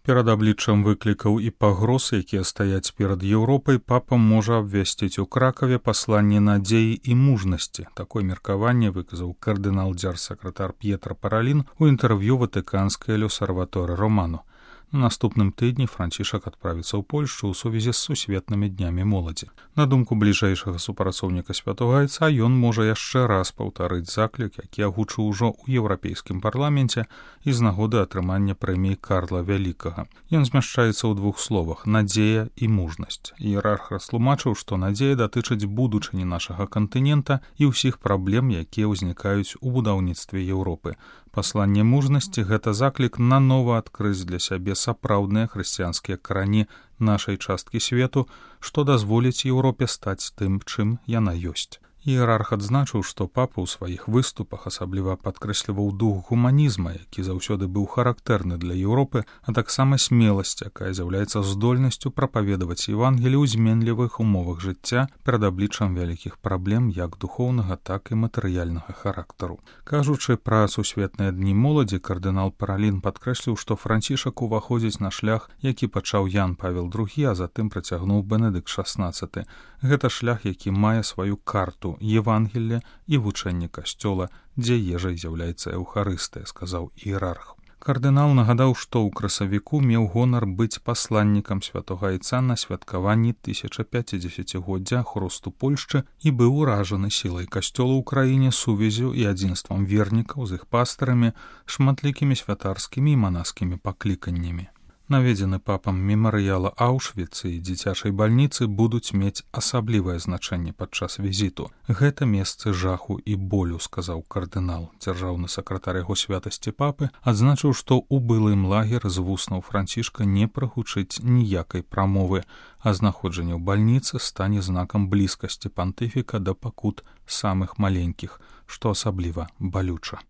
Перад абліччам выклікаў і пагроз, якія стаяць перад Еўропай, папа можа абвясціць у Кракаве пасланне надзеі і мужнасці. Такое меркаванне выказаў кардынал-дзярж-сакратар П'етра Паралін у інтэрв'ю ватыканскай L'Osservatore Romano. На наступным тыдні Францішак адправіцца ў Польшчу ў сувязі з сусветнымі днямі моладзі. На думку бліжэйшага супрацоўніка Святога Айца, ён можа яшчэ раз паўтарыць заклік, які агучыў ужо ў Еўрапейскім парламенце і з нагоды атрымання прэміі Карла Вялікага. Ён змяшчаецца ў двух словах: надзея і мужнасць. Іерарх растлумачыў, што надзея датычыць будучыні нашага кантынента і ўсіх праблем, якія ўзнікаюць у будаўніцтве Еўропы. Пасланне мужнасці — гэта заклік нанова адкрыць для сябе сапраўдныя хрысціянскія карані нашай часткі свету, што дазволіць Еўропе стаць тым, чым яна ёсць. Іерарх адзначыў, што папа ў сваіх выступах асабліва падкрэсліваў дух гуманізма, які заўсёды быў характэрны для Еўропы, а таксама смеласць, якая з'яўляецца здольнасцю прапаведаваць Евангелі ў зменлівых умовах жыцця перад абліччам вялікіх праблем як духоўнага, так і матэрыяльнага характару. Кажучы пра сусветныя дні моладзі, кардынал Паралін падкрэсліў, што Францішак уваходзіць на шлях, які пачаў Ян Павел II, а затым працягнуў Бенедыкт XVI. Гэта шлях, які мае сваю карту Евангелля і вучэнне касцёла, дзе ежай з'яўляецца Еўхарыстыя, сказаў іерарх. Кардынал нагадаў, што ў красавіку меў гонар быць пасланнікам Святога Айца на святкаванні 1050-годдзя хросту Польшчы і быў уражаны сілай касцёла ў краіне, сувяззю і адзінствам вернікаў з іх пастарамі, шматлікімі святарскімі і манаскімі пакліканнямі. Наведзены папам мемарыяла Аўшвіц і дзіцячай бальніцы будуць мець асаблівае значэнне падчас візіту. Гэта месцы жаху і болю, сказаў кардынал. Дзяржаўны сакратар яго святасці папы адзначыў, што ў былым лагер з вуснаў Францішка не прагучыць ніякай прамовы, а знаходжанне ў бальніцы стане знакам блізкасці пантыфіка да пакут самых маленькіх, што асабліва балюча.